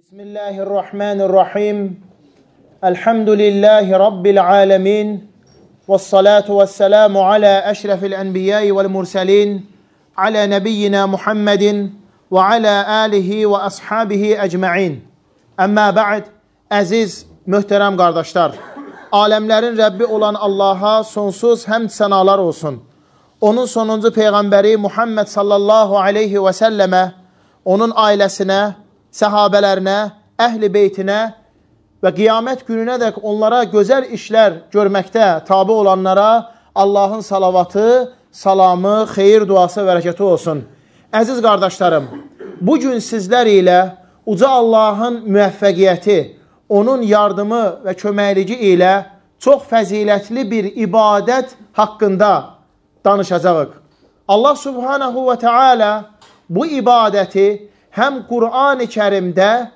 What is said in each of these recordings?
Bismillahirrahmanirrahim. Elhamdülillahi Rabbil alemin. Vessalatu vesselamu ala eşrefil enbiyai vel murselin. Ala nebiyyina Muhammedin ve ala alihi ve ashabihi ecma'in. Amma ba'd. Əziz, möhtərəm qardaşlar. Aləmlərin Rəbbi olan Allaha sonsuz həmd sənalar olsun. Onun sonuncu Peyğəmbəri Muhammed sallallahu aleyhi və səlləmə, onun ailəsinə, səhabələrinə, əhl-i beytinə və qiyamət gününə dək onlara gözəl işlər görməkdə tabi olanlara Allahın salavatı, salamı, xeyir duası və rəkəti olsun. Əziz qardaşlarım, bugün sizlər ilə uca Allahın müvəffəqiyyəti, onun yardımı və köməkliyi ilə çox fəzilətli bir ibadət haqqında danışacağıq. Allah subhanahu və teala bu ibadəti həm Qur'an-ı Kərimdə,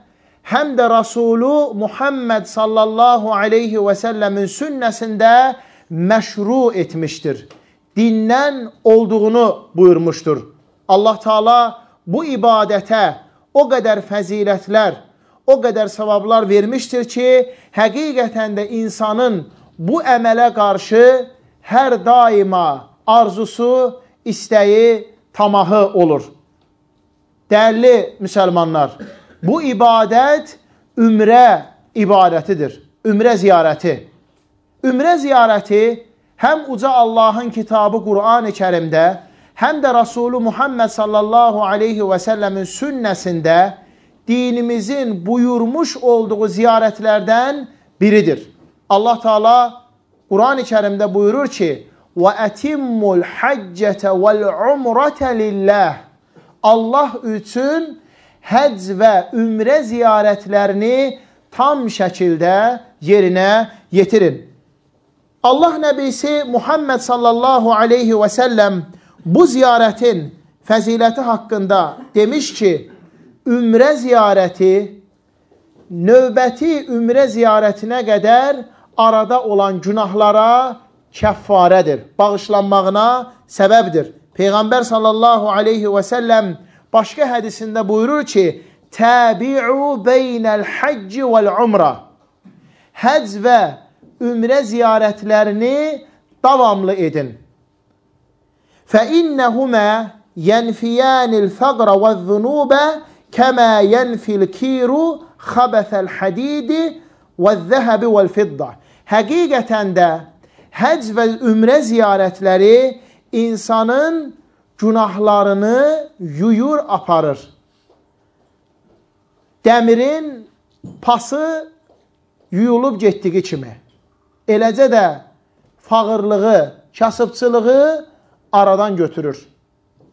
həm də Rasulü Muhammed sallallahu aleyhi və səlləmin sünnəsində məşru etmişdir. Dindən olduğunu buyurmuşdur. Allah Teala bu ibadətə o qədər fəzilətlər, o qədər savablar vermişdir ki, həqiqətən də insanın bu əmələ qarşı hər daima arzusu, istəyi, tamahı olur. Dəyərli müsəlmanlar, bu ibadət ümrə ibadətidir, ümrə ziyarəti. Ümrə ziyarəti həm uca Allahın kitabı Qur'an-ı Kərimdə, həm də Rasulü Muhammed sallallahu aleyhi və səlləmin sünnəsində dinimizin buyurmuş olduğu ziyarətlərdən biridir. Allah Teala Qur'an-ı Kərimdə buyurur ki, وَأَتِمُّ الْحَجَّةَ وَالْعُمْرَةَ لِلَّهِ Allah üçün həcc və ümrə ziyarətlərini tam şəkildə yerinə yetirin. Allah Nəbisi Muhammed sallallahu aleyhi və səlləm bu ziyarətin fəziləti haqqında demiş ki, ümrə ziyarəti növbəti ümrə ziyarətinə qədər arada olan günahlara kəffarədir, bağışlanmağına səbəbdir. Peyğəmbər sallallahu aleyhi və səlləm başqa hədisində buyurur ki, təbi'u beynəl həcci vəl-umra. Həcc və ümrə ziyarətlərini davamlı edin. فَإِنَّهُمَا يَنْفِيَانِ الْفَقْرَ وَالذُّنُوبَ كَمَا يَنْفِي الْكِيرُ خَبَثَ الْحَدِيدِ وَالذَّهَبِ وَالْفِضَّةِ. Həqiqətən də həcc və ümrə ziyarətləri insanın günahlarını yuyur, aparır. Dəmirin pası yuyulub getdiyi kimi. Eləcə də fağırlığı, kasıbçılığı aradan götürür.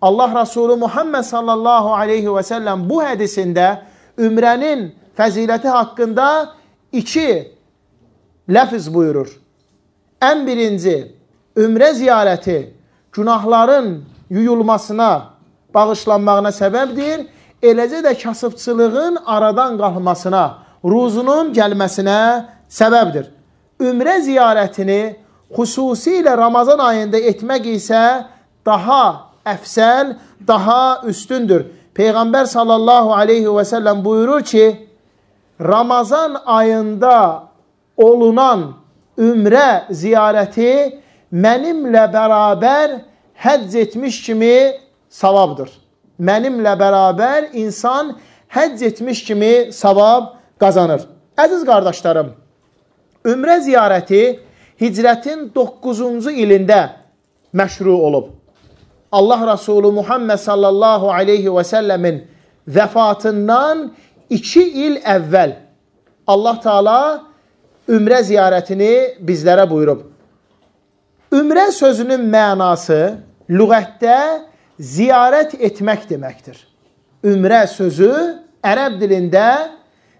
Allah Resulü Muhammed sallallahu aleyhi və səlləm bu hədisində ümrənin fəziləti haqqında iki ləfz buyurur. Ən birinci, ümrə ziyarəti günahların yuyulmasına, bağışlanmağına səbəbdir. Eləcə də kasıbçılığın aradan qalmasına, ruzunun gəlməsinə səbəbdir. Ümrə ziyarətini xüsusilə Ramazan ayında etmək isə daha əfsəl, daha üstündür. Peyğəmbər sallallahu aleyhi və səlləm buyurur ki, Ramazan ayında olunan ümrə ziyarəti mənimlə bərabər həcc etmiş kimi savabdır. Mənimlə bərabər insan həcc etmiş kimi savab qazanır. Əziz qardaşlarım, ümrə ziyarəti hicrətin 9-cu ilində məşru olub. Allah Resulü Muhammed sallallahu aleyhi və səlləmin vəfatından 2 il əvvəl Allah Teala ümrə ziyarətini bizlərə buyurub. Ümrə sözünün mənası lüğətdə ziyarət etmək deməkdir. Ümrə sözü ərəb dilində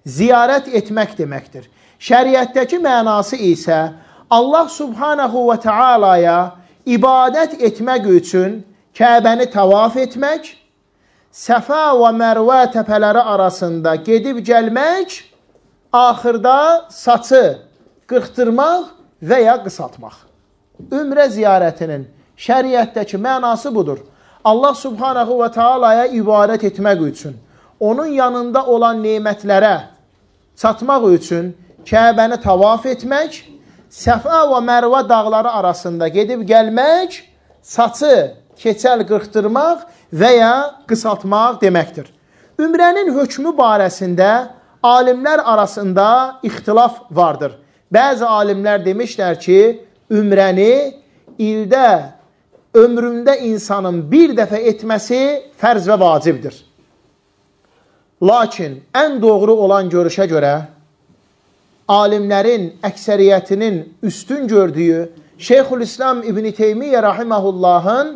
ziyarət etmək deməkdir. Şəriətdəki mənası isə Allah subhanahu və teala'ya ibadət etmək üçün Kəbəni tavaf etmək, Səfa və Mərvə təpələri arasında gedib gəlmək, axırda saçı qırxdırmaq və ya qısaltmaq. Ümrə ziyarətinin şəriətdəki mənası budur. Allah subhanahu və teala'ya ibadət etmək üçün, onun yanında olan nemətlərə çatmaq üçün Kəbəni tavaf etmək, Səfa və Mərvə dağları arasında gedib gəlmək, saçı keçəl qırxdırmaq və ya qısaltmaq deməkdir. Ümrənin hökmü barəsində alimlər arasında ixtilaf vardır. Bəzi alimlər demişlər ki, ümrəni ildə, ömründə insanın bir dəfə etməsi fərz və vacibdir. Lakin ən doğru olan görüşə görə, alimlərin əksəriyyətinin üstün gördüyü Şeyxülislam İbn Teymiyyə rahiməhullahın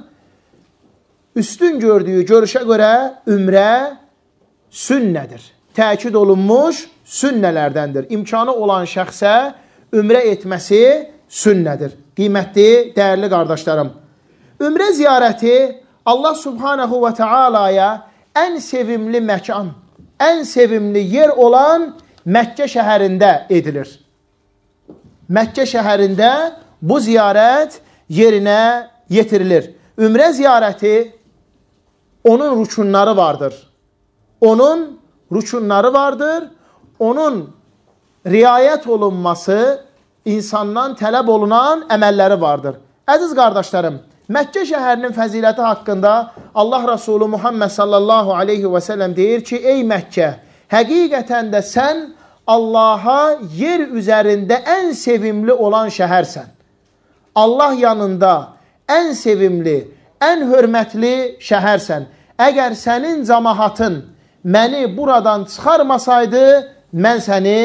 üstün gördüyü görüşə görə ümrə sünnədir. Təkid olunmuş sünnələrdəndir. İmkanı olan şəxsə ümrə etməsi sünnədir. Qiymətli, dəyərli qardaşlarım. Ümrə ziyarəti Allah subhanahu və teala'ya ən sevimli məkan, ən sevimli yer olan Məkkə şəhərində edilir. Məkkə şəhərində bu ziyarət yerinə yetirilir. Ümrə ziyarəti onun rükunları vardır. Onun rükunları vardır. Onun riayət olunması insandan tələb olunan əməlləri vardır. Əziz qardaşlarım, Məkkə şəhərinin fəziləti haqqında Allah Rasulü Muhammed sallallahu aleyhi və səlləm deyir ki, ey Məkkə, həqiqətən də sən Allaha yer üzərində ən sevimli olan şəhərsən. Allah yanında ən sevimli, ən hörmətli şəhərsən. Əgər sənin cəmaatın məni buradan çıxarmasaydı, mən səni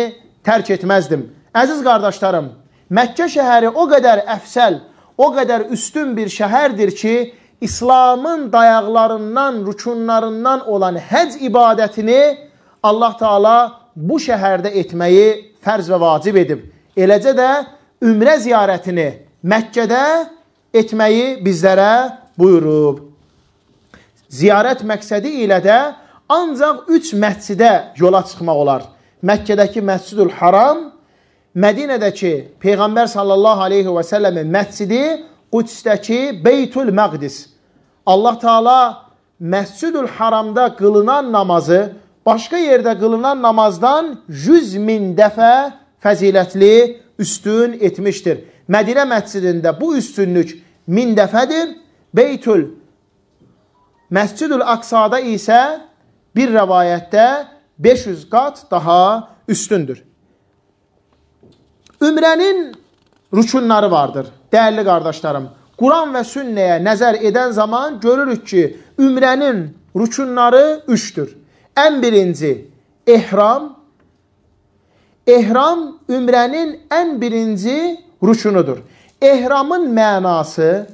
tərk etməzdim. Əziz qardaşlarım, Məkkə şəhəri o qədər əfsəl, o qədər üstün bir şəhərdir ki, İslamın dayaqlarından, rükunlarından olan həc ibadətini Allah Teala bu şəhərdə etməyi fərz və vacib edib. Eləcə də ümrə ziyarətini Məkkədə etməyi bizlərə buyurub. Ziyarət məqsədi ilə də ancaq 3 məscidə yola çıxmaq olar. Məkkədəki Məscidül Haram, Mədinədəki Peyğəmbər sallallahu aleyhi və səlləmin məscidi, Qüdsdəki Beytül Məqdis. Allah Teala Məscidül Haramda qılınan namazı başqa yerdə qılınan namazdan 100.000 dəfə fəzilətli üstün etmişdir. Mədinə məscidində bu üstünlük 1000 dəfədir. Beytül Məscidül Aqsada isə bir rəvayətdə 500 qat daha üstündür. Ümrənin rükunları vardır, dəyərli qardaşlarım. Quran və sünnəyə nəzər edən zaman görürük ki, ümrənin rükunları 3'dür. Ən birinci, ehram. Ehram ümrənin ən birinci rükunudur. Ehramın mənası,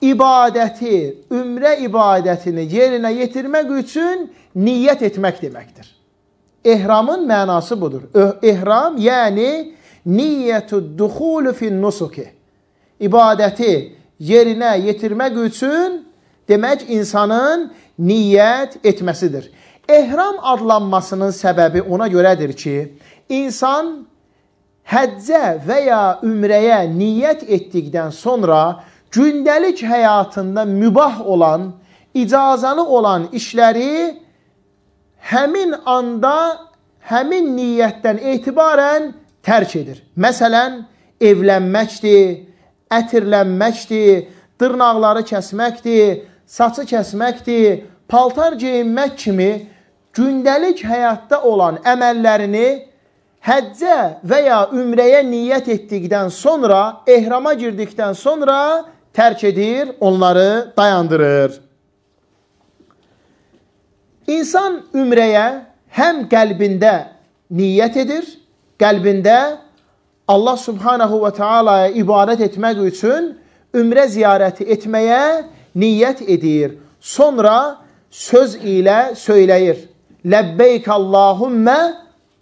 ibadəti, ümrə ibadətini yerinə yetirmək üçün niyyət etmək deməkdir. Ehramın mənası budur. Ehram, yəni niyyətü-duxulu fin-nusuki. İbadəti yerinə yetirmək üçün demək insanın niyyət etməsidir. Ehram adlanmasının səbəbi ona görədir ki, insan həccə və ya ümrəyə niyyət etdikdən sonra gündəlik həyatında mübah olan, icazalı olan işləri həmin anda, həmin niyyətdən etibarən tərk edir. Məsələn, evlənməkdir, ətirlənməkdir, dırnaqları kəsməkdir, saçı kəsməkdir, paltar geyinmək kimi gündəlik həyatda olan əməllərini həccə və ya ümrəyə niyyət etdikdən sonra, ehrama girdikdən sonra tərk edir, onları dayandırır. İnsan ümrəyə həm qəlbində niyyət edir, qəlbində Allah subhanahu və teala'ya ibadət etmək üçün ümrə ziyarəti etməyə niyyət edir. Sonra söz ilə söyləyir. Ləbbeyk Allahümmə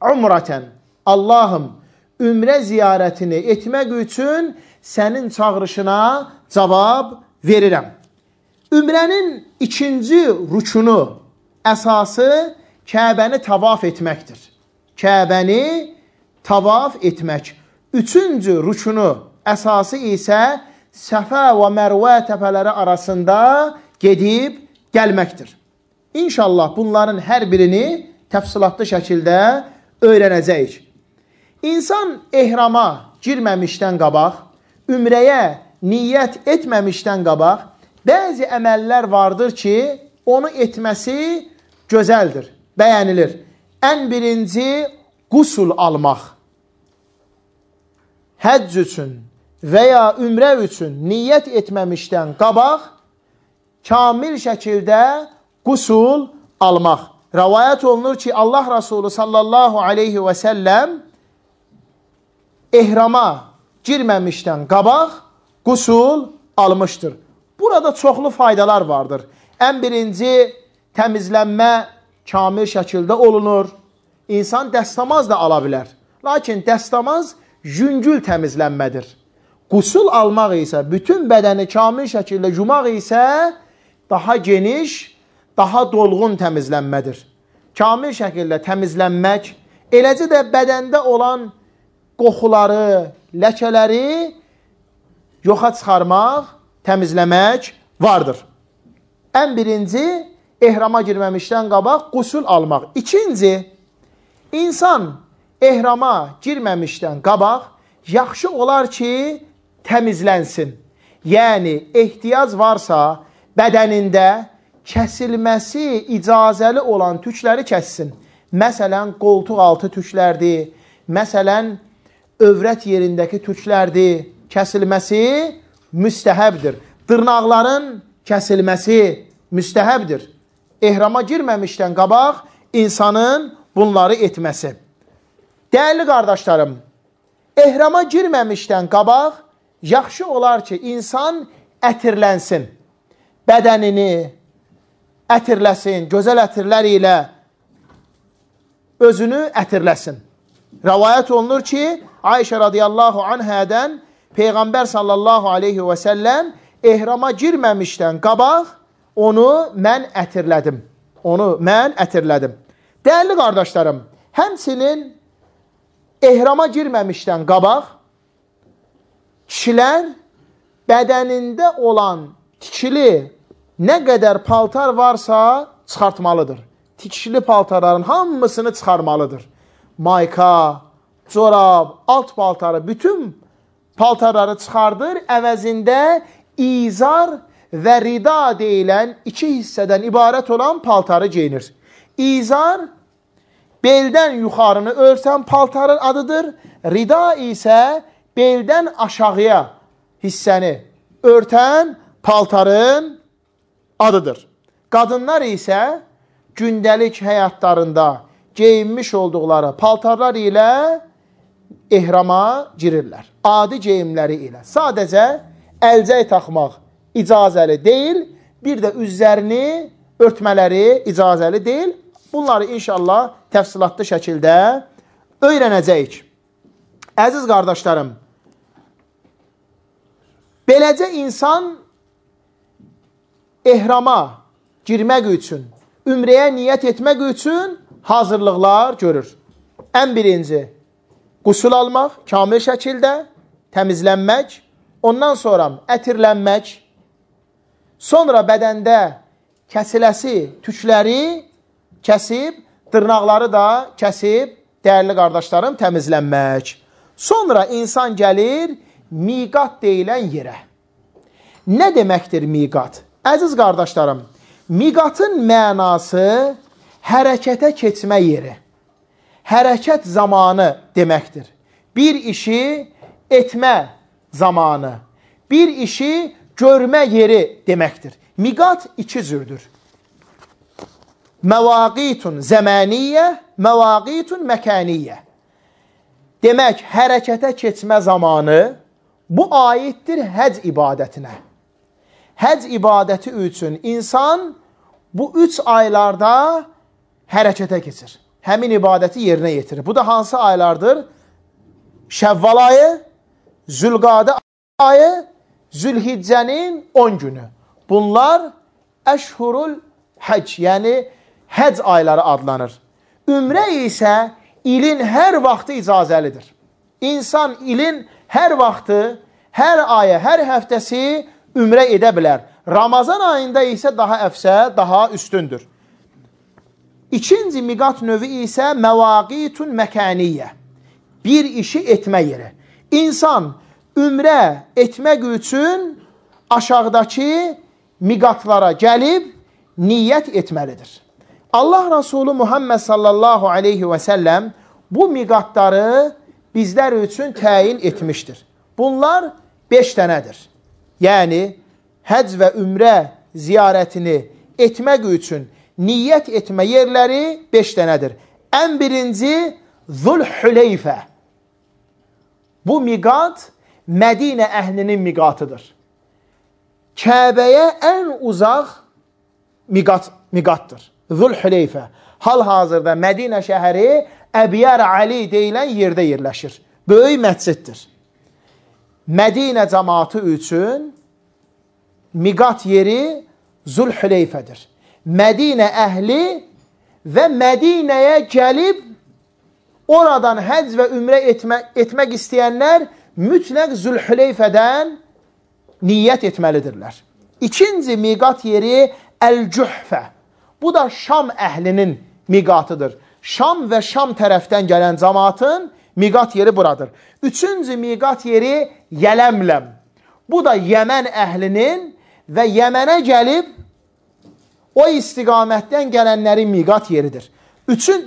umrətən. Allahım, ümrə ziyarətini etmək üçün sənin çağırışına cavab verirəm. Ümrənin ikinci rükunu, əsası Kəbəni tavaf etməkdir. Kəbəni tavaf etmək. Üçüncü rükunu, əsası isə Səfa və Mərvə təpələri arasında gedib gəlməkdir. İnşallah bunların hər birini təfsilatlı şəkildə öyrənəcəyik. İnsan ehrama girməmişdən qabaq, ümrəyə niyyət etməmişdən qabaq, bəzi əməllər vardır ki, onu etməsi gözəldir, bəyənilir. Ən birinci, qusul almaq. Həcc üçün və ya ümrə üçün niyyət etməmişdən qabaq, kamil şəkildə qusul almaq. Rəvayət olunur ki, Allah Rasulü sallallahu aleyhi və səlləm ehrama girməmişdən qabaq qusul almışdır. Burada çoxlu faydalar vardır. Ən birinci, təmizlənmə kamil şəkildə olunur. İnsan dəstəmaz da ala bilər. Lakin dəstəmaz yüngül təmizlənmədir. Qusul almaq isə, bütün bədəni kamil şəkildə yumaq isə daha geniş, daha dolğun təmizlənmədir. Kamil şəkildə təmizlənmək, eləcə də bədəndə olan qoxuları, ləkələri yoxa çıxarmaq, təmizləmək vardır. Ən birinci, ehrama girməmişdən qabaq qusul almaq. İkinci, insan ehrama girməmişdən qabaq yaxşı olar ki, təmizlənsin. Yəni, ehtiyac varsa bədənində kəsilməsi icazəli olan tükləri kəssin. Məsələn, qoltuq altı tüklərdir, məsələn, övrət yerindəki tüklərdir, kəsilməsi müstəhəbdir. Dırnaqların kəsilməsi müstəhəbdir. Ehrama girməmişdən qabaq insanın bunları etməsi. Dəyərli qardaşlarım, ehrama girməmişdən qabaq yaxşı olar ki, insan ətirlənsin. Bədənini ətirləsin, gözəl ətirlər ilə özünü ətirləsin. Rəvayət olunur ki, Ayşə radiyallahu anhədən Peyğəmbər sallallahu aleyhi və səlləm ehrama girməmişdən qabaq onu mən ətirlədim. Dəyərli qardaşlarım, həmçinin ehrama girməmişdən qabaq kişilər bədənində olan tikili nə qədər paltar varsa çıxartmalıdır. Tikili paltarların hamısını çıxarmalıdır. Mayka, corab, alt paltarı, bütün paltarları çıxardır, əvəzində izar və rida deyilən iki hissədən ibarət olan paltarı geyinir. İzar, beldən yuxarını örsən paltarın adıdır. Rida isə beldən aşağıya hissəni örtən paltarın adıdır. Qadınlar isə gündəlik həyatlarında geyinmiş olduqları paltarlar ilə ehrama girirlər. Adi geyimləri ilə. Sadəcə əlcək taxmaq icazəli deyil, bir də üzlərini örtmələri icazəli deyil. Bunları inşallah təfsilatlı şəkildə öyrənəcəyik. Əziz qardaşlarım, beləcə insan ehrama girmək üçün, ümrəyə niyyət etmək üçün hazırlıqlar görür. Ən birinci, qusul almaq, kamil şəkildə, təmizlənmək, ondan sonra ətirlənmək, sonra bədəndə kəsiləsi tükləri kəsib, dırnaqları da kəsib, dəyərli qardaşlarım, təmizlənmək. Sonra insan gəlir miqat deyilən yerə. Nə deməkdir miqat? Əziz qardaşlarım, miqatın mənası hərəkətə keçmə yeri, hərəkət zamanı deməkdir. Bir işi etmə zamanı, bir işi görmə yeri deməkdir. Miqat iki cürdür. Məvaqitun zəmaniyyə, məvaqitun məkaniyyə. Demək, hərəkətə keçmə zamanı bu aiddir həc ibadətinə. Həc ibadəti üçün insan bu 3 aylarda hərəkətə keçir. Həmin ibadəti yerinə yetirir. Bu da hansı aylardır? Şəvval ayı, Zülqadə ayı, Zülhiccənin 10 günü. Bunlar əşhurul həc, yəni həc ayları adlanır. Ümrə isə ilin hər vaxtı icazəlidir. İnsan ilin hər vaxtı, hər ayı, hər həftəsi ümrə edə bilər. Ramazan ayında isə daha əfsə, daha üstündür. İkinci miqat növü isə məvaqitun məkaniyyə. Bir işi etmə yeri. İnsan ümrə etmək üçün aşağıdakı miqatlara gəlib niyyət etməlidir. Allah Resulü Muhammed sallallahu aleyhi və səlləm bu miqatları bizlər üçün təyin etmişdir. Bunlar 5 dənədir. Yəni, həc və ümrə ziyarətini etmək üçün niyyət etmə yerləri 5 dənədir. Ən birinci Zülhüleyfə. Bu miqat Mədinə əhlinin miqatıdır. Kəbəyə ən uzaq miqatdır. Zülhüleyfə. Hal-hazırda Mədinə şəhəri Əbiyər Ali deyilən yerdə yerləşir. Böyük məsciddir. Mədinə cəmaatı üçün miqat yeri Zülhüleyfədir. Mədinə əhli və Mədinəyə gəlib oradan həcc və ümrə etmək istəyənlər mütləq Zülhüleyfədən niyyət etməlidirlər. İkinci miqat yeri Əl-Cühfə. Bu da Şam əhlinin miqatıdır. Şam və Şam tərəfdən gələn cəmaatın miqat yeri buradır. Üçüncü miqat yeri Yələmləm. Bu da Yəmən əhlinin və Yəmənə gəlib o istiqamətdən gələnlərin miqat yeridir.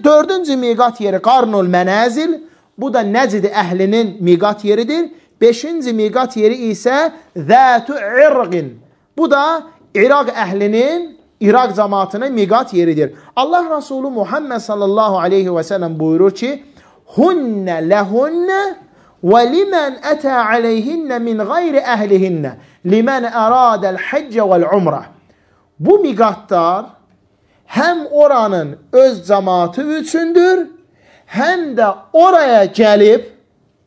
Dördüncü miqat yeri Qarnul Mənəzil. Bu da Nəcd əhlinin miqat yeridir. Beşinci miqat yeri isə Zətü İrqin. Bu da İraq əhlinin, İraq cəmaatının miqat yeridir. Allah Resulü Muhammed sallallahu aleyhi və səlləm buyurur ki, Hunnə ləhunnə və limən ətə aleyhinnə min qayri əhlihinnə limən ərədəl həccə vəl-umrə. Bu miqatlar həm oranın öz cəmaatı üçündür, həm də oraya gəlib,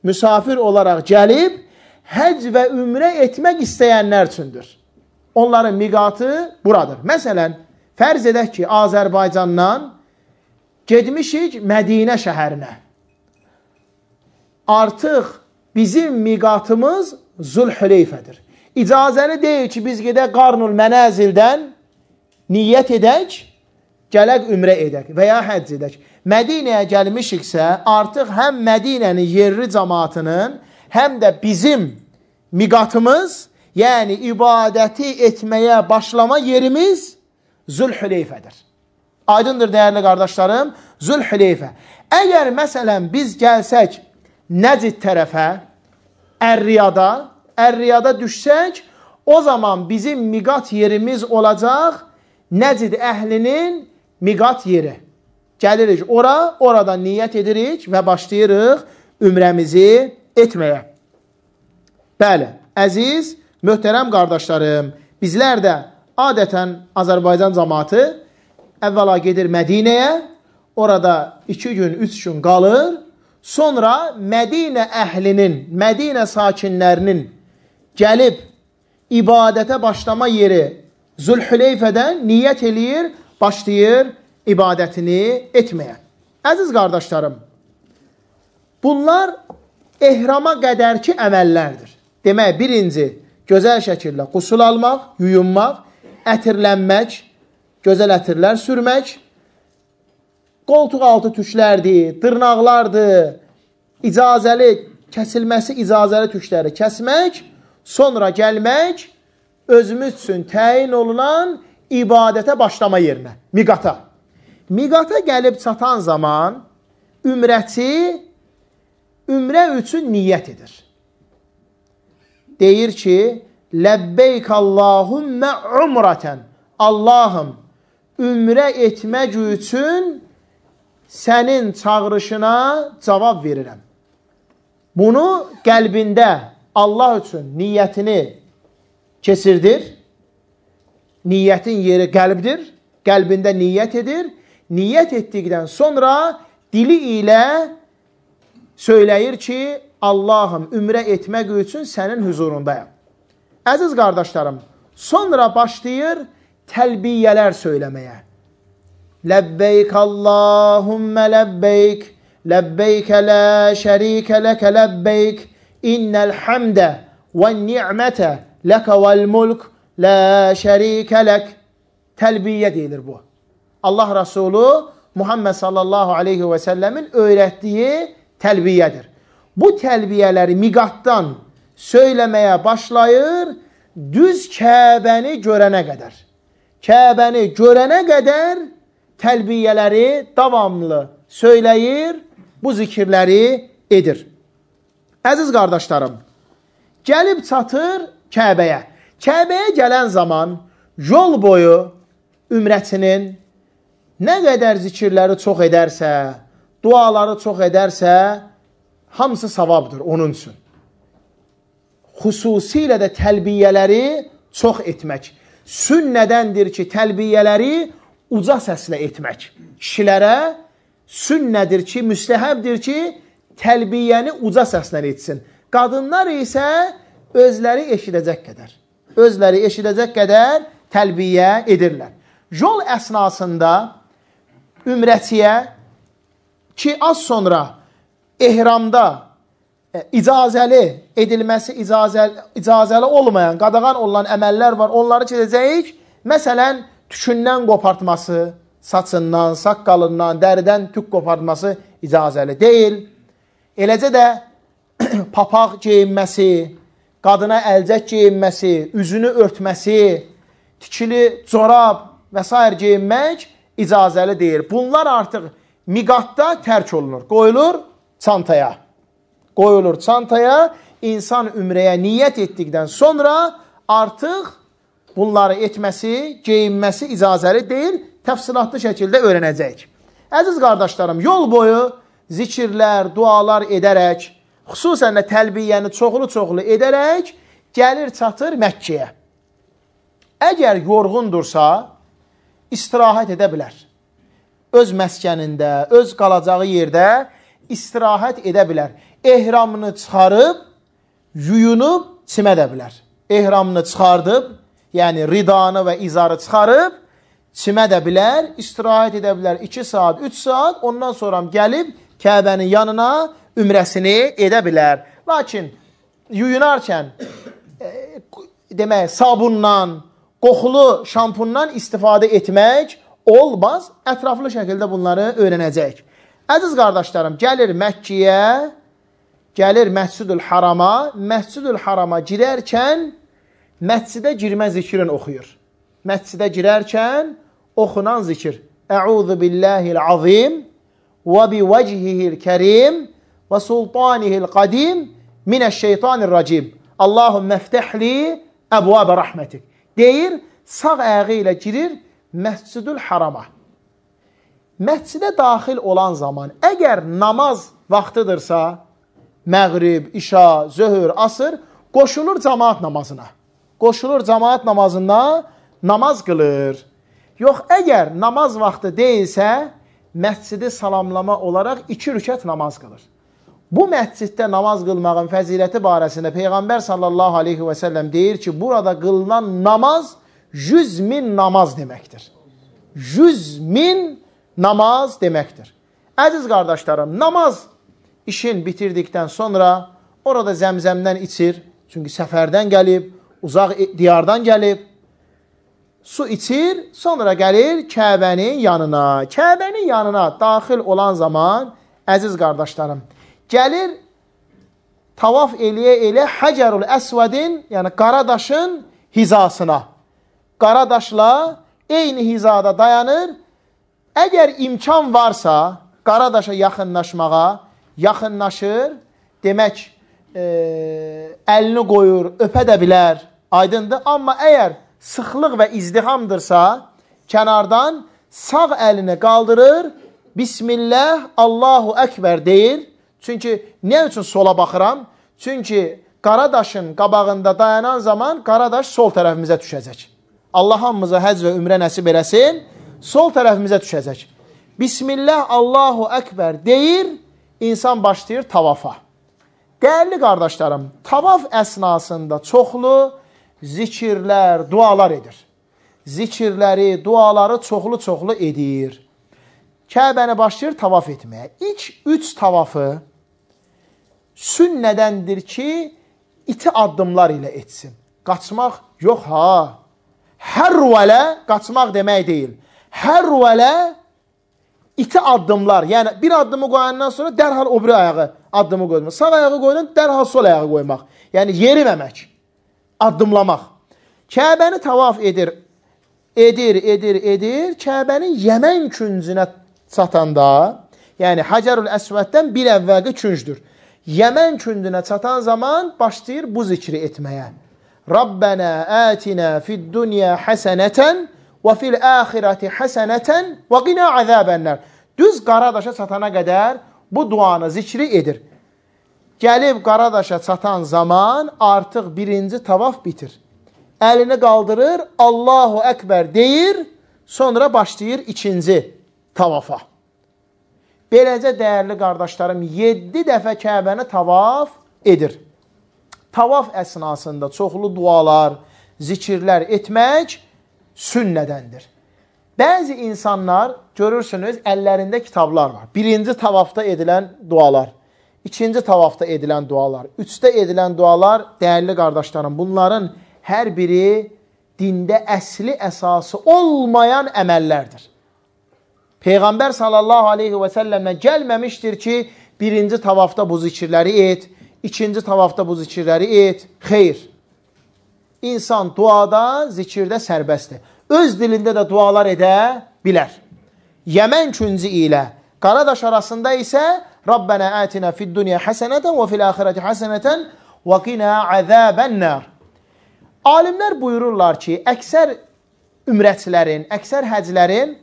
müsafir olaraq gəlib, həcc və ümrə etmək istəyənlər üçündür. Onların miqatı buradır. Məsələn, fərz edək ki, Azərbaycandan getmişik Mədinə şəhərinə. Artıq bizim miqatımız Zülhüleyfədir. İcazəli deyil ki, biz gedək Qarnul Mənəzildən niyyət edək, gələk ümrə edək və ya həcc edək. Mədinəyə gəlmişiksə, artıq həm Mədinənin yerli cəmaatının, həm də bizim miqatımız, yəni ibadəti etməyə başlama yerimiz Zülhüleyfədir. Aydındır, dəyərli qardaşlarım, Zülhüleyfə. Əgər məsələn biz gəlsək Nəcd tərəfə, Ər-Riyada düşsək, o zaman bizim miqat yerimiz olacaq Nəcd əhlinin miqat yeri. Gəlirik ora, oradan niyyət edirik və başlayırıq ümrəmizi etməyə. Bəli, əziz, möhtərəm qardaşlarım, bizlər də adətən Azərbaycan cəmaatı əvvəla gedir Mədinəyə, orada 2 gün, 3 gün qalır, sonra Mədinə əhlinin, Mədinə sakinlərinin gəlib ibadətə başlama yeri Zülhüleyfədən niyyət eləyir, başlayır ibadətini etməyə. Əziz qardaşlarım, bunlar ehrama qədərki əməllərdir. Demək, birinci, gözəl şəkildə qusul almaq, yuyunmaq, ətirlənmək, gözəl ətirlər sürmək, qoltuq altı tüklərdir, dırnaqlardır, kəsilməsi icazəli tükləri kəsmək, sonra gəlmək, özümüz üçün təyin olunan ibadətə başlama yerinə, miqata. Miqata gəlib çatan zaman ümrəçi ümrə üçün niyyət edir. Deyir ki, Ləbbeyk Allahummə umrətən. Allahım, ümrə etmək üçün sənin çağırışına cavab verirəm. Bunu qəlbində Allah üçün niyyətini keçirdir. Niyyətin yeri qəlbdir. Qəlbində niyyət edir. Niyyət etdikdən sonra dili ilə söyləyir ki, Allahım, ümrə etmək üçün sənin huzurundayam. Əziz qardaşlarım, sonra başlayır təlbiyyələr söyləməyə. Ləbbeyk Allahummə ləbbeyk, ləbbeykə lə şərikə ləkə ləbbeyk, innəl həmdə və ni'mətə ləkə vəl mulk, lə şərikə lək. Təlbiyyə deyilir bu. Allah Resulü Muhammed sallallahu aleyhi və səlləmin öyrətdiyi təlbiyədir. Bu təlbiyələri miqatdan söyləməyə başlayır düz Kəbəni görənə qədər. Kəbəni görənə qədər təlbiyələri davamlı söyləyir, bu zikirləri edir. Əziz qardaşlarım, gəlib çatır Kəbəyə. Kəbəyə gələn zaman yol boyu ümrətinin nə qədər zikirləri çox edərsə, duaları çox edərsə, hamısı savabdır onun üçün. Xüsusilə də təlbiyələri çox etmək. Sünnədəndir ki, təlbiyələri uca səslə etmək. Kişilərə sünnədir ki, müstəhəbdir ki, təlbiyəni uca səslə etsin. Qadınlar isə özləri eşidəcək qədər təlbiyə edirlər. Yol əsnasında ümrətiyə ki, az sonra ehramda icazəli edilməsi, icazəli olmayan, qadağan olan əməllər var, onları çəkəcəyik. Məsələn, tükündən qopartması, saçından, saqqalından, dəridən tük qopartması icazəli deyil. Eləcə də papaq geyinməsi, qadına əlcək geyinməsi, üzünü örtməsi, tikili corab və s. geyinmək icazəli deyil. Bunlar artıq miqatda tərk olunur, qoyulur çantaya. Qoyulur çantaya, insan ümrəyə niyyət etdikdən sonra artıq bunları etməsi, geyinməsi icazəli deyil, təfsilatlı şəkildə öyrənəcəyik. Əziz qardaşlarım, yol boyu zikirlər, dualar edərək, xüsusən də təlbiyyəni çoxlu edərək gəlir çatır Məkkəyə. Əgər yorğundursa, istirahət edə bilər. Öz məskənində, öz qalacağı yerdə istirahət edə bilər. Ehramını çıxarıb, yuyunub, çimədə bilər. Ehramını çıxardıb, yəni ridanı və izarı çıxarıb, çimədə bilər, istirahət edə bilər 2 saat, 3 saat, ondan sonra gəlib Kəbənin yanına ümrəsini edə bilər. Lakin yuyunarkən demək, sabundan, qoxulu şampundan istifadə etmək olmaz. Ətraflı şəkildə bunları öyrənəcək. Əziz qardaşlarım, gəlir Məkkəyə, gəlir Məscidül Harama. Məscidül Harama girərkən məscidə girmə zikrin oxuyur. Məscidə girərkən oxunan zikir. Əuzu billahil azim və bi vəcihihil kərim və sultanihil qadim minəşşeytanirracim. Allahümmə ftəhli əbvabə rəhmətik. Deyir, sağ ayağı ilə girir Məscidül Harama. Məscidə daxil olan zaman, əgər namaz vaxtıdırsa, məğrib, işa, zöhr, asır, qoşulur cəmaat namazına. Qoşulur cəmaat namazına, namaz qılır. Yox, əgər namaz vaxtı deyilsə, məscidi salamlama olaraq 2 rükət namaz qılır. Bu məsciddə namaz qılmağın fəziləti barəsində Peyğəmbər sallallahu aleyhi və səlləm deyir ki, burada qılınan namaz 100.000 namaz deməkdir. 100.000 namaz deməkdir. Əziz qardaşlarım, namaz işin bitirdikdən sonra orada zəmzəmdən içir. Çünki səfərdən gəlib, uzaq diyardan gəlib. Su içir, sonra gəlir Kəbənin yanına. Kəbənin yanına daxil olan zaman, əziz qardaşlarım, gəlir tavaf eləyə Həcərül Əsvədin, yəni Qaradaşın hizasına. Qaradaşla eyni hizada dayanır. Əgər imkan varsa, Qaradaşa yaxınlaşmağa, yaxınlaşır, demək, əlini qoyur, öpə də bilər, aydındır. Amma əgər sıxlıq və izdihamdırsa, kənardan sağ əlini qaldırır, Bismillah, Allahu Əkbər deyir. Çünki, nə üçün sola baxıram? Çünki Qaradaşın qabağında dayanan zaman Qaradaş sol tərəfimizə düşəcək. Allah hamımıza həcc və ümrə nəsib eləsin, sol tərəfimizə düşəcək. Bismillah, Allahu Əkbər deyir, insan başlayır tavafa. Dəyərli qardaşlarım, tavaf əsnasında çoxlu zikirlər, dualar edir. Zikirləri, duaları çoxlu edir. Kəbəni başlayır tavaf etməyə. İlk 3 tavafı sünnədəndir ki, iti addımlar ilə etsin. Qaçmaq yox ha. Hər rüvələ qaçmaq demək deyil. Hər rüvələ iti addımlar, yəni bir addımı qoyandan sonra dərhal o biri ayağı addımı qoymaq. Sağ ayağı qoyulan dərhal sol ayağı qoymaq. Yəni yeriməmək, addımlamaq. Kəbəni tavaf edir. Kəbənin Yəmən küncünə çatanda, yəni Həcərül Əsvəddən bir əvvəlki küncdür. Yəmən küncünə çatan zaman başlayır bu zikri etməyə. Rabbənə ətinə fid-dunya həsənətən və fil-əxirəti həsənətən və qina əzəbənlər. Düz Qaradaşa çatana qədər bu duanı zikri edir. Gəlib Qaradaşa çatan zaman artıq birinci tavaf bitir. Əlini qaldırır, Allahu Əkbər deyir, sonra başlayır ikinci tavafa. Beləcə, dəyərli qardaşlarım, 7 dəfə Kəbəni tavaf edir. Tavaf əsnasında çoxlu dualar, zikirlər etmək sünnədəndir. Bəzi insanlar, görürsünüz, əllərində kitablar var. Birinci tavafda edilən dualar, ikinci tavafda edilən dualar, üçdə edilən dualar, dəyərli qardaşlarım, bunların hər biri dində əsli əsası olmayan əməllərdir. Peyğəmbər sallallahu aleyhi və səlləmlə gəlməmişdir ki, birinci tavafda bu zikirləri et, ikinci tavafda bu zikirləri et. Xeyr. İnsan duada, zikirdə sərbəstdir. Öz dilində də dualar edə bilər. Yəmən küncü ilə Qaradaş arasında isə Rabbənə ətinə fid-dunya həsənətən və fil-əxirəti həsənətən və qina əzəbənnər. Alimlər buyururlar ki, əksər ümrətçilərin, əksər həclərin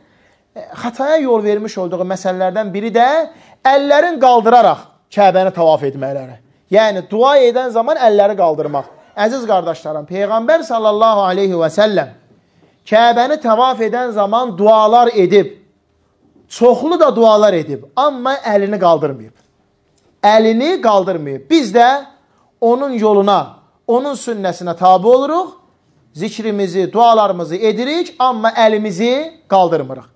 xataya yol vermiş olduğu məsələlərdən biri də əllərin qaldıraraq Kəbəni tavaf etməkləri. Yəni, dua edən zaman əlləri qaldırmaq. Əziz qardaşlarım, Peyğəmbər sallallahu aleyhi və səlləm Kəbəni tavaf edən zaman dualar edib, çoxlu da dualar edib, amma əlini qaldırmayıb. Əlini qaldırmayıb. Biz də onun yoluna, onun sünnəsinə tabi oluruq, zikrimizi, dualarımızı edirik, amma əlimizi qaldırmırıq.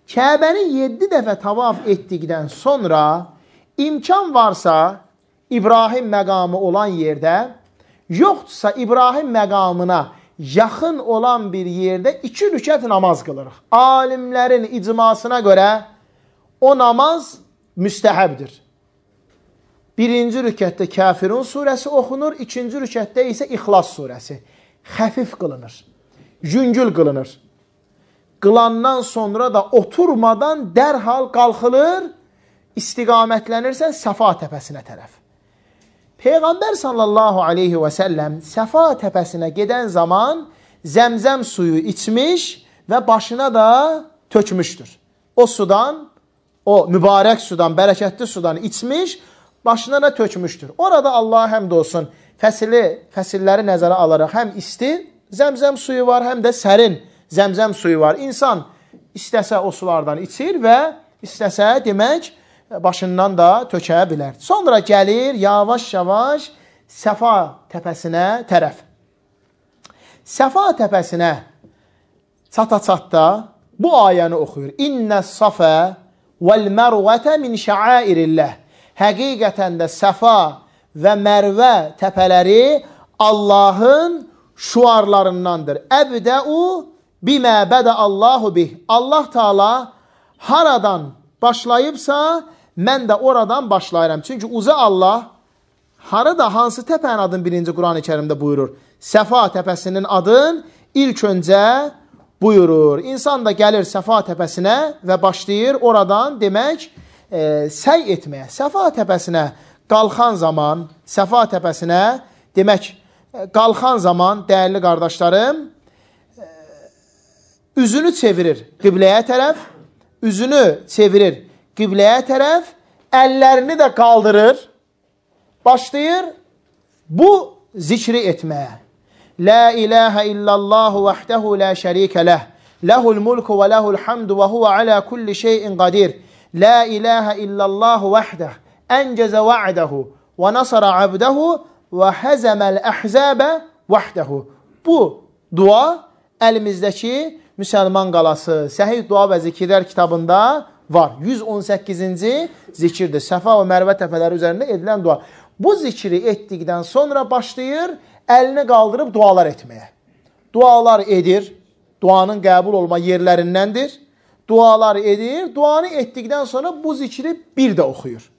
Kəbəni 7 dəfə tavaf etdikdən sonra imkan varsa İbrahim məqamı olan yerdə, yoxdursa İbrahim məqamına yaxın olan bir yerdə 2 rükət namaz qılırıq. Alimlərin icmasına görə o namaz müstəhəbdir. Birinci rükətdə Kafirun surəsi oxunur, ikinci rükətdə isə İxlas surəsi. Xəfif qılınır, yüngül qılınır. Qılandan sonra da oturmadan dərhal qalxılır, istiqamətlənirsə Səfa təpəsinə tərəf. Peyğəmbər sallallahu aleyhi və səlləm Səfa təpəsinə gedən zaman zəmzəm suyu içmiş və başına da tökmüşdür. O sudan, o mübarək sudan, bərəkətli sudan içmiş, başına da tökmüşdür. Orada Allah həmd olsun, fəsilləri nəzərə alaraq həm isti zəmzəm suyu var, həm də sərin zəmzəm suyu var. İnsan istəsə o sulardan içir və istəsə demək başından da tökə bilər. Sonra gəlir yavaş-yavaş Səfa təpəsinə tərəf. Səfa təpəsinə çata-çatda bu ayəni oxuyur. İnnəs-safə vəl-mərvətə min şəairilləh. Həqiqətən də Səfa və Mərvə təpələri Allahın şuarlarındandır. Əbdəu bimə bədə Allahu bih. Allah Teala haradan başlayıbsa, mən də oradan başlayıram. Çünki uca Allah harada, hansı təpənin adını birinci Quran-ı Kərimdə buyurur? Səfa təpəsinin adını ilk öncə buyurur. İnsan da gəlir Səfa təpəsinə və başlayır oradan demək səy etməyə. Səfa təpəsinə qalxan zaman, Səfa təpəsinə demək qalxan zaman, dəyərli qardaşlarım, üzünü çevirir qibləyə tərəf, üzünü çevirir qibləyə tərəf, əllərini də qaldırır, başlayır bu zikri etməyə. La ilahə illəllahu vəhdəhu la şərikə ləh, ləhul mulku və ləhul hamdu və huvə alə kulli şeyin qadir. La ilahə illəllahu vəhdəh, əncəzə və'dəhu və nasara abdəhu və həzəməl əhzəbə vəhdəhu. Bu dua əlimizdəki Müsəlman qalası Səhih Dua və Zikirlər kitabında var. 118-ci zikirdir. Səfa və Mərvə təpələri üzərində edilən dua. Bu zikri etdikdən sonra başlayır əlini qaldırıb dualar etməyə. Dualar edir. Duanın qəbul olma yerlərindəndir. dualar edir. Duanı etdikdən sonra bu zikri bir də oxuyur.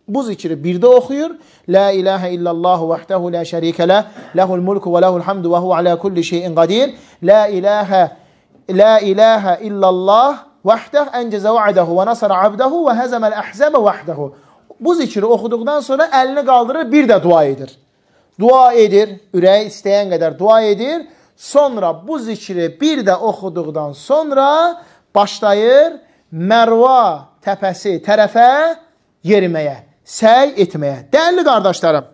Bu zikri bir də oxuyur. La ilahe illallah vahdehu la şerike leh. Lehul mulku ve lehul hamdu ve huve ala kulli şeyin qadir. La ilahe illallah vahdehu enceze va'dehu ve nasara abdehu ve hezemel ahzabe vahdehu. Bu zikri oxuduqdan sonra əlini qaldırır, bir də dua edir. Dua edir, ürəyi istəyən qədər dua edir. Sonra bu zikri bir də oxuduqdan sonra başlayır Mərva təpəsi tərəfə yeriməyə, səy etməyə. Dəyərli qardaşlarım,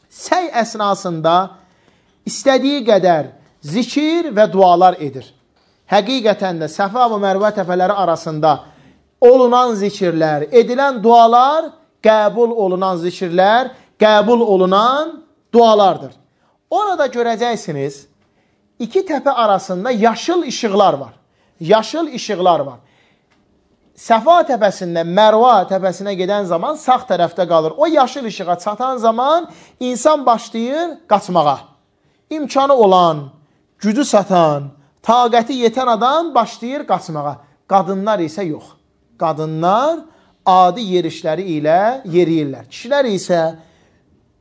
səy əsnasında istədiyi qədər zikir və dualar edir. Həqiqətən də Səfa və Mərva təpələri arasında olunan zikirlər, edilən dualar, qəbul olunan zikirlər, qəbul olunan dualardır. Orada görəcəksiniz, iki təpə arasında yaşıl işıqlar var. Yaşıl işıqlar var. Səfa təpəsindən Mərva təpəsinə gedən zaman sağ tərəfdə qalır. O yaşıl işığa çatan zaman insan başlayır qaçmağa. İmkanı olan, gücü satan, taqəti yetən adam başlayır qaçmağa. Qadınlar isə yox. Qadınlar adi yerişləri ilə yeriyirlər. Kişilər isə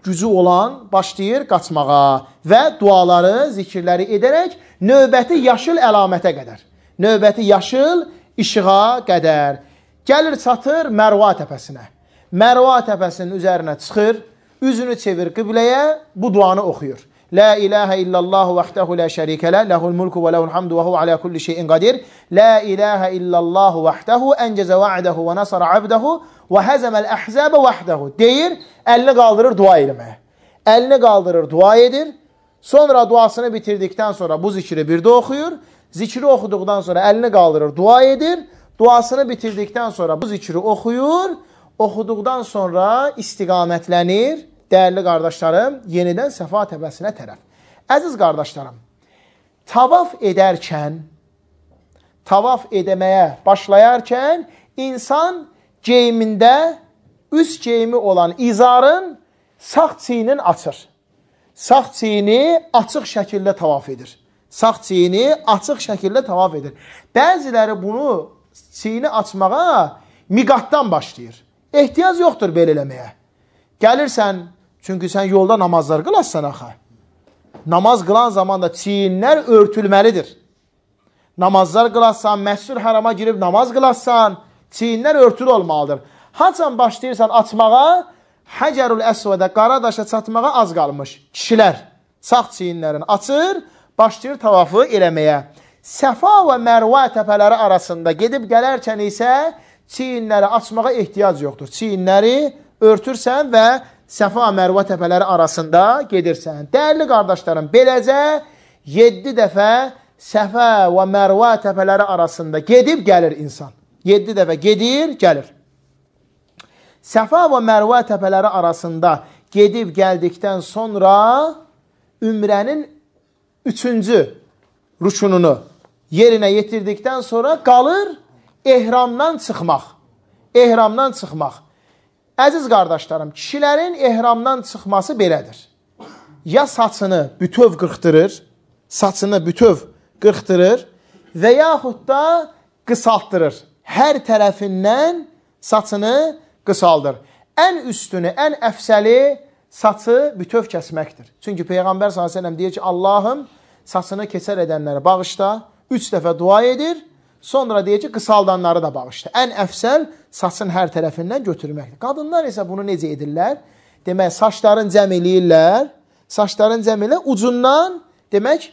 gücü olan başlayır qaçmağa və duaları, zikirləri edərək növbəti yaşıl əlamətə qədər, növbəti yaşıl işığa qədər gəlir, çatır Mərva təpəsinə. Mərva təpəsinin üzərinə çıxır, üzünü çevir qibləyə, bu duanı oxuyur. La ilahe illallah vahdehu la şerike leh, lehul mulku ve lehul hamdu ve huve ala kulli şeyin qadir. La ilahe illallah vahdehu enceze va'dehu ve nasara abdehu ve hezemel ahzabe vahdehu deyir, əlini qaldırır dua eləməyə. Əlini qaldırır, dua edir. Sonra duasını bitirdikdən sonra bu zikri bir də oxuyur. Zikri oxuduqdan sonra əlini qaldırır, dua edir. Duasını bitirdikdən sonra bu zikri oxuyur. Oxuduqdan sonra istiqamətlənir. Dəyərli qardaşlarım, yenidən Səfa təpəsinə tərəf. Əziz qardaşlarım, tavaf edərkən, tavaf edəməyə başlayarkən insan geyimində üst geyimi olan izarın sağ çiyinin açır. Sağ çiyini açıq şəkildə tavaf edir. Sağ çiyini açıq şəkildə tavaf edir. Bəziləri bunu çiyini açmağa miqatdan başlayır. Ehtiyac yoxdur belə eləməyə. Gəlirsən, çünki sən yolda namazlar qılassan axı. Namaz qılan zaman da çiyinlər örtülməlidir. Namazlar qılassan, məscid harama girib namaz qılassan, çiyinlər örtülü olmalıdır. Haçan başlayırsan açmağa, Həcərül Əsvədə, qara daşa çatmağa az qalmış. Kişilər sağ çiyinlərini açır, başlayır tavafı eləməyə. Səfa və Mərva təpələri arasında gedib gələrkən isə çiyinləri açmağa ehtiyac yoxdur. Çiyinləri örtürsən və Səfa Mərva təpələri arasında gedirsən. Dəyərli qardaşlarım, beləcə 7 dəfə Səfa və Mərva təpələri arasında gedib gəlir insan. 7 dəfə gedir, gəlir. Səfa və Mərva təpələri arasında gedib gəldikdən sonra ümrənin 3-cü rükununu yerinə yetirdikdən sonra qalır ehramdan çıxmaq. Ehramdan çıxmaq. Əziz qardaşlarım, kişilərin ehramdan çıxması belədir. Ya saçını bütöv qırxdırır, saçını bütöv qırxdırır və yaxud da qısaltdırır. Hər tərəfindən saçını qısaldır. Ən üstünü, ən əfsəli saçı bütöv kəsməkdir. Çünki Peyğəmbər s.ə.v deyir ki, Allahım saçını keçər edənləri bağışla, 3 dəfə dua edir, sonra deyir ki, qısaldanları da bağışla. Ən əfsəl saçın hər tərəfindən götürməkdir. Qadınlar isə bunu necə edirlər? Demək, saçların cəm eləyirlər, saçların cəm eləyirlər, ucundan, demək,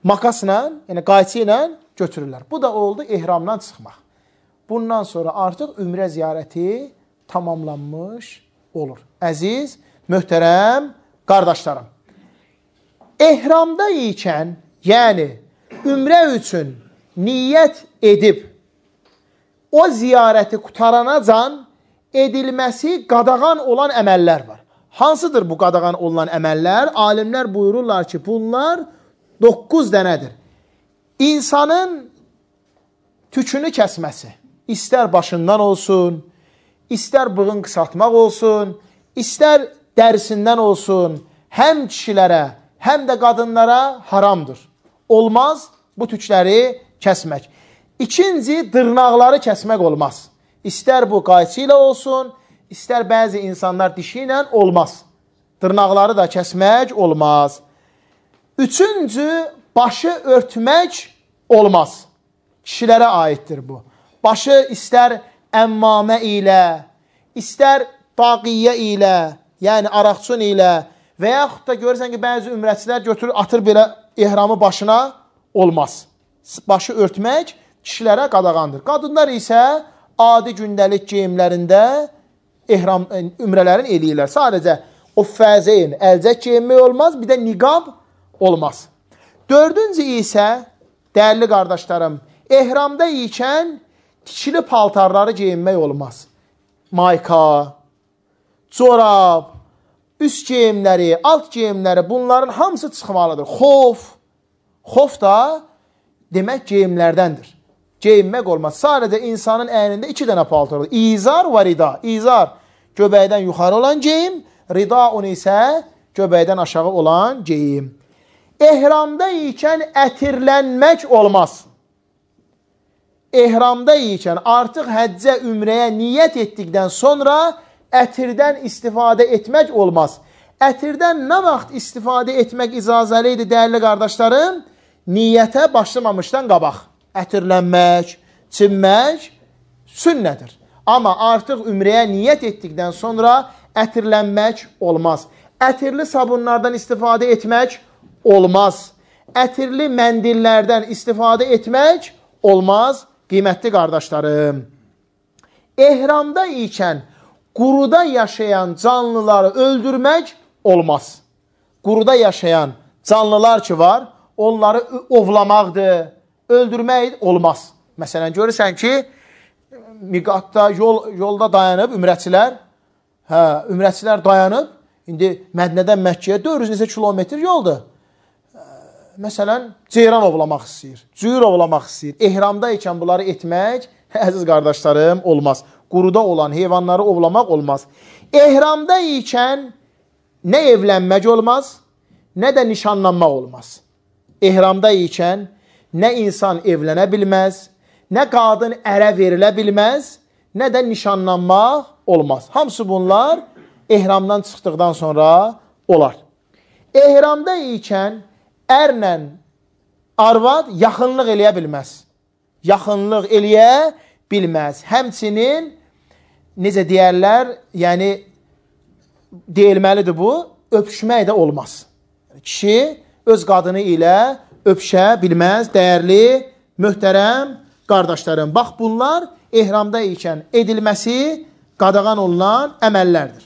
makasla, yəni qayçı ilə götürürlər. Bu da oldu ehramdan çıxmaq. Bundan sonra artıq ümrə ziyarəti tamamlanmış olur. Əziz, möhtərəm qardaşlarım, ehramda ikən, yəni ümrə üçün niyyət edib, o ziyarəti qutaranacan edilməsi qadağan olan əməllər var. Hansıdır bu qadağan olunan əməllər? Alimlər buyururlar ki, bunlar 9 dənədir. İnsanın tükünü kəsməsi, istər başından olsun, istər bığın qısaltmaq olsun, istər dərisindən olsun, həm kişilərə, həm də qadınlara haramdır. Olmaz bu tükləri kəsmək. İkinci, dırnaqları kəsmək olmaz. İstər bu qayçı ilə olsun, istər bəzi insanlar dişi ilə olmaz. Dırnaqları da kəsmək olmaz. Üçüncü, başı örtmək olmaz. Kişilərə aiddir bu. Başı istər əmmamə ilə, istər daqiyyə ilə, yəni araqçun ilə və yaxud da görürsən ki, bəzi ümrətçilər götürür, atır belə ehramı başına, olmaz. Başı örtmək kişilərə qadağandır. Qadınlar isə adi gündəlik geyimlərində ümrələrin eləyirlər. Sadəcə o fəzeyn, əlcək geyinmək olmaz, bir də niqab olmaz. Dördüncü isə, dəyərli qardaşlarım, ehramda ikən tikili paltarları geyinmək olmaz. Mayka, corab, üst geyimləri, alt geyimləri, bunların hamısı çıxmalıdır. Xof da demək geyimlərdəndir. Geyinmək olmaz. Sadəcə insanın əynində 2 dənə paltar olur. İzar və rida. İzar göbəkdən yuxarı olan geyim, ridaun isə göbəkdən aşağı olan geyim. Ehramda ikən ətirlənmək olmaz. Ehramda ikən artıq həccə, ümrəyə niyyət etdikdən sonra ətirdən istifadə etmək olmaz. Ətirdən nə vaxt istifadə etmək icazəli idi, dəyərli qardaşlarım? Niyyətə başlamamışdan qabaq. Ətirlənmək, çinmək sünnədir. Amma artıq ümrəyə niyyət etdikdən sonra ətirlənmək olmaz. Ətirli sabunlardan istifadə etmək olmaz. Ətirli məndillərdən istifadə etmək olmaz, qiymətli qardaşlarım. Ehramda ikən quruda yaşayan canlıları öldürmək olmaz. Quruda yaşayan canlılar ki var, onları ovlamaqdır, öldürmək olmaz. Məsələn, görürsən ki, miqatda, yolda dayanıb ümrətçilər dayanıb, indi Mədnədən Məkkəyə 400 kilometr yoldur. Məsələn, ceyran ovlamaq istəyir, cüyür ovlamaq istəyir. Ehramda ikən bunları etmək, əziz qardaşlarım, olmaz. Quruda olan heyvanları ovlamaq olmaz. Ehramda ikən nə evlənmək olmaz, nə də nişanlanmaq olmaz. Ehramda ikən nə insan evlənə bilməz, nə qadın ərə verilə bilməz, nə də nişanlanmaq olmaz. Hamısı bunlar ehramdan çıxdıqdan sonra olar. Ehramda ikən ərlə arvad yaxınlıq eləyə bilməz. Yaxınlıq eləyə bilməz. Həmçinin, necə deyərlər, yəni deyilməlidir bu, öpüşmək də olmaz. Kişi öz qadını ilə öpüşə bilməz, dəyərli, möhtərəm qardaşlarım. Bax, bunlar ehramda ikən edilməsi qadağan olunan əməllərdir.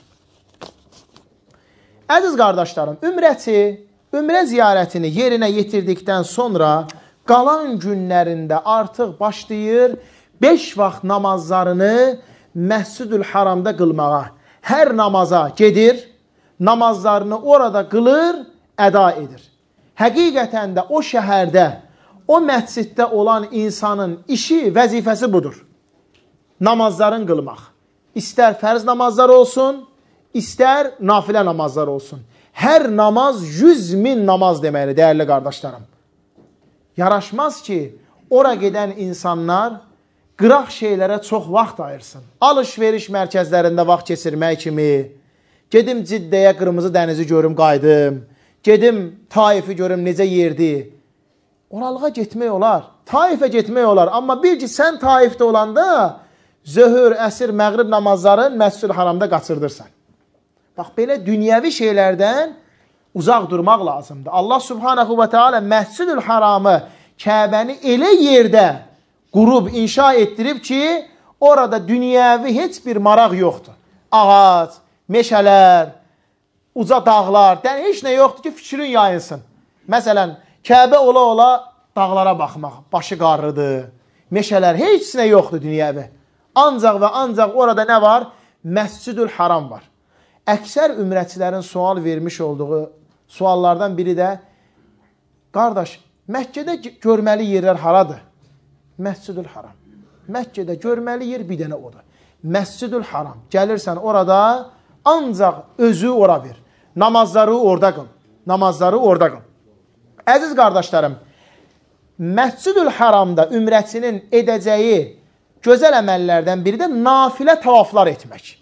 Əziz qardaşlarım, ümrə ziyarətini yerinə yetirdikdən sonra qalan günlərində artıq başlayır 5 vaxt namazlarını Məscid-ül Haramda qılmağa. Hər namaza gedir, namazlarını orada qılır, əda edir. Həqiqətən də o şəhərdə, o məsciddə olan insanın işi, vəzifəsi budur. Namazların qılmaq. İstər fərz namazlar olsun, istər nafilə namazlar olsun. Hər namaz 100.000 namaz deməkdir, dəyərli qardaşlarım. Yaraşmaz ki, ora gedən insanlar qıraq şeylərə çox vaxt ayırsın. Alış-veriş mərkəzlərində vaxt keçirmək kimi, gedim Ciddəyə qırmızı dənizi görüm, qaydım, gedim Taifi görüm, necə yerdi. Oralığa getmək olar, Taifə getmək olar. Amma bil ki, sən Taifdə olanda zöhür, əsr, məğrib namazların Məscid-ül Haramda qaçırdırsan. Bax, belə dünyəvi şeylərdən uzaq durmaq lazımdır. Allah Subhanahu və Teala Məscid-ül Haramı, Kəbəni elə yerdə qurub, inşa etdirib ki, orada dünyəvi heç bir maraq yoxdur. Ağac, meşələr, uca dağlar, heç nə yoxdur ki, fikrin yayınsın. Məsələn, Kəbə ola-ola dağlara baxmaq, başı qarrıdır, meşələr, heç nə yoxdur dünyəvi. Ancaq və ancaq orada nə var? Məscid-ül Haram var. Əksər ümrətçilərin sual vermiş olduğu suallardan biri də, qardaş, Məkkədə görməli yerlər haradır? Məscid-ül Haram. Məkkədə görməli yer bir dənə odur. Məscid-ül Haram. Gəlirsən orada, ancaq özü ora ver. Namazları orada qıl. Namazları orada qıl. Əziz qardaşlarım, Məscidül Haramda ümrəçinin edəcəyi gözəl əməllərdən biri də nafilə tavaflar etmək.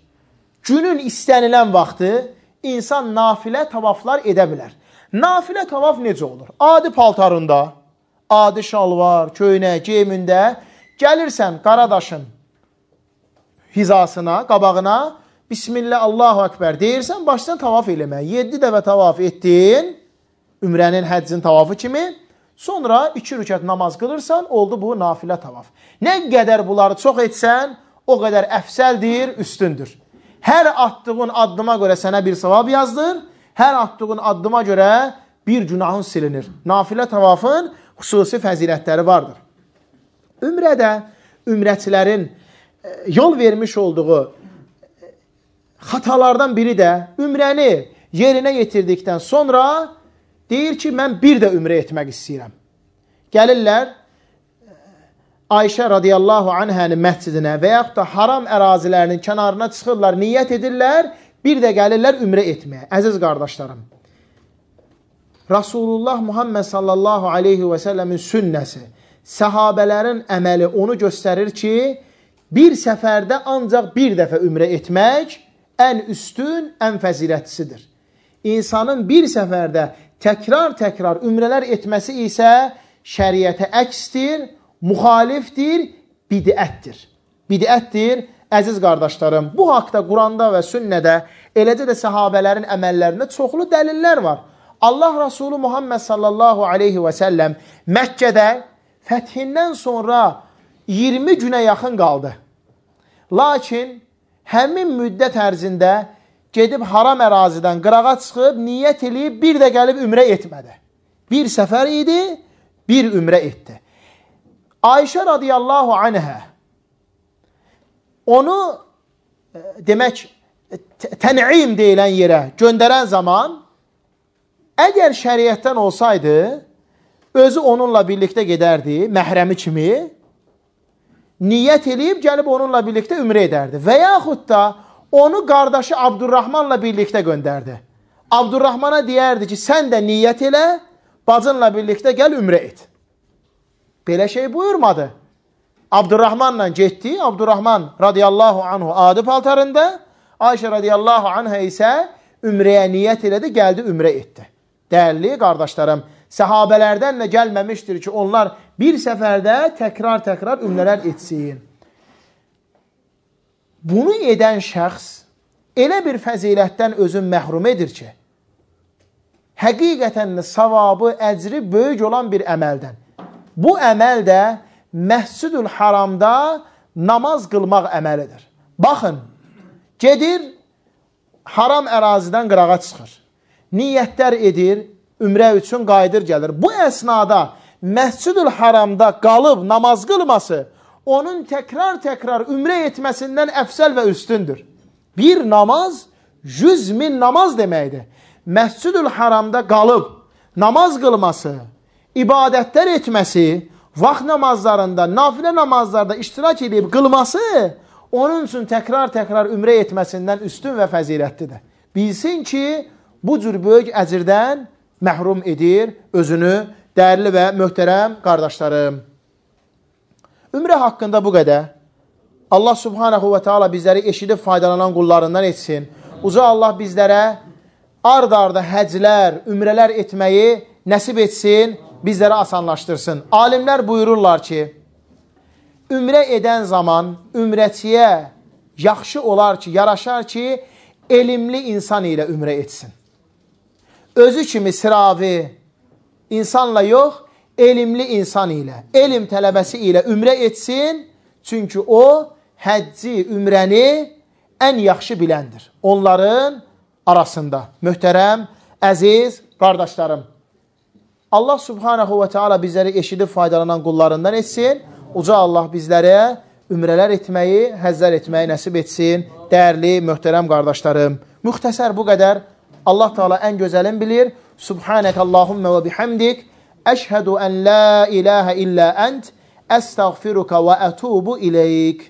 Günün istənilən vaxtı insan nafilə tavaflar edə bilər. Nafilə tavaf necə olur? Adi paltarında, adi şalvar, köynək, geyimində gəlirsən Qaradaşın hizasına, qabağına, Bismillah, Allahu Ekber deyirsən, başdan tavaf eləmək. 7 dəfə tavaf etdin, ümrənin, həccin tavafı kimi, sonra 2 rükət namaz qılırsan, oldu bu nafilə tavaf. Nə qədər bunları çox etsən, o qədər əfsəldir, üstündür. Hər attığın addıma görə sənə bir savab yazdır, hər attığın addıma görə bir günahın silinir. Nafilə tavafın xüsusi fəzilətləri vardır. Ümrədə ümrəçilərin yol vermiş olduğu xatalardan biri də ümrəni yerinə yetirdikdən sonra deyir ki, mən bir də ümrə etmək istəyirəm. Gəlirlər Ayşə radiyallahu anhənin məscidinə və yaxud da haram ərazilərinin kənarına çıxırlar, niyyət edirlər, bir də gəlirlər ümrə etməyə. Əziz qardaşlarım, Rasulullah Muhammed sallallahu aleyhi və səlləmin sünnəsi, səhabələrin əməli onu göstərir ki, bir səfərdə ancaq bir dəfə ümrə etmək ən üstün, ən fəzilətlisidir. İnsanın bir səfərdə təkrar ümrələr etməsi isə şəriətə əksdir, müxalifdir, bidətdir. Bidətdir, əziz qardaşlarım. Bu haqda Quranda və sünnədə, eləcə də səhabələrin əməllərində çoxlu dəlillər var. Allah Rasulü Muhammed sallallahu aleyhi və səlləm Məkkədə fəthindən sonra 20 günə yaxın qaldı. Lakin həmin müddət ərzində gedib haram ərazidən qırağa çıxıb, niyyət eləyib, bir də gəlib ümrə etmədi. Bir səfər idi, bir ümrə etdi. Ayşə radiyallahu anhə onu demək tən'im deyilən yerə göndərən zaman əgər şəriətdən olsaydı özü onunla birlikdə gedərdi, məhrəmi kimi niyyət eləyib gəlib onunla birlikdə ümrə edərdi və yaxud da onu qardaşı Abdurrahmanla birlikdə göndərdi. Abdurrahmana deyərdi ki, sən də niyyət elə, bacınla birlikdə gəl ümrə et. Belə şey buyurmadı. Abdurrahmanla getdi. Abdurrahman radiyallahu anhu adi paltarında, Ayşə radiyallahu anhə isə ümrəyə niyyət elədi, gəldi ümrə etdi. Dəyərli qardaşlarım, səhabələrdən də gəlməmişdir ki, onlar bir səfərdə təkrar ümrələr etsin. Bunu edən şəxs elə bir fəzilətdən özün məhrum edir ki, həqiqətən savabı, əcri böyük olan bir əməldən. Bu əməl də Məscidül Haramda namaz qılmaq əməlidir. Baxın, gedir, haram ərazidən qırağa çıxır. Niyyətlər edir, ümrə üçün qayıdır gəlir. Bu əsnada Məscidül Haramda qalıb namaz qılması onun təkrar ümrə etməsindən əfsəl və üstündür. Bir namaz 100.000 namaz deməkdir. Məscidül Haramda qalıb namaz qılması, ibadətlər etməsi, vaxt namazlarında, nafilə namazlarda iştirak edib qılması onun üçün təkrar ümrə etməsindən üstün və fəzilətlidir. Bilsin ki, bu cür böyük əcirdən məhrum edir özünü, dəyərli və möhtərəm qardaşlarım. Ümrə haqqında bu qədər. Allah subhanahu və teala bizləri eşidib faydalanan qullarından etsin. Uca Allah bizlərə ard-arda həclər, ümrələr etməyi nəsib etsin, bizlərə asanlaşdırsın. Alimlər buyururlar ki, ümrə edən zaman ümrəçiyə yaxşı olar ki, yaraşar ki, elmli insan ilə ümrə etsin. Özü kimi sıravi insanla yox, elmli insan ilə, elm tələbəsi ilə ümrə etsin, çünki o, həcci, ümrəni ən yaxşı biləndir. Onların arasında. Möhtərəm, əziz qardaşlarım. Allah subhanahu və teala bizləri eşidib faydalanan qullarından etsin. Uca Allah bizlərə ümrələr etməyi, həzzər etməyi nəsib etsin. Dəyərli, möhtərəm qardaşlarım. Müxtəsər bu qədər. Allah Teala ən gözəlin bilir. Subhanək Allahümmə və bihamdik. Əşhədu ən la ilahə illə ənt. Əstəğfiruka və ətubu iləyik.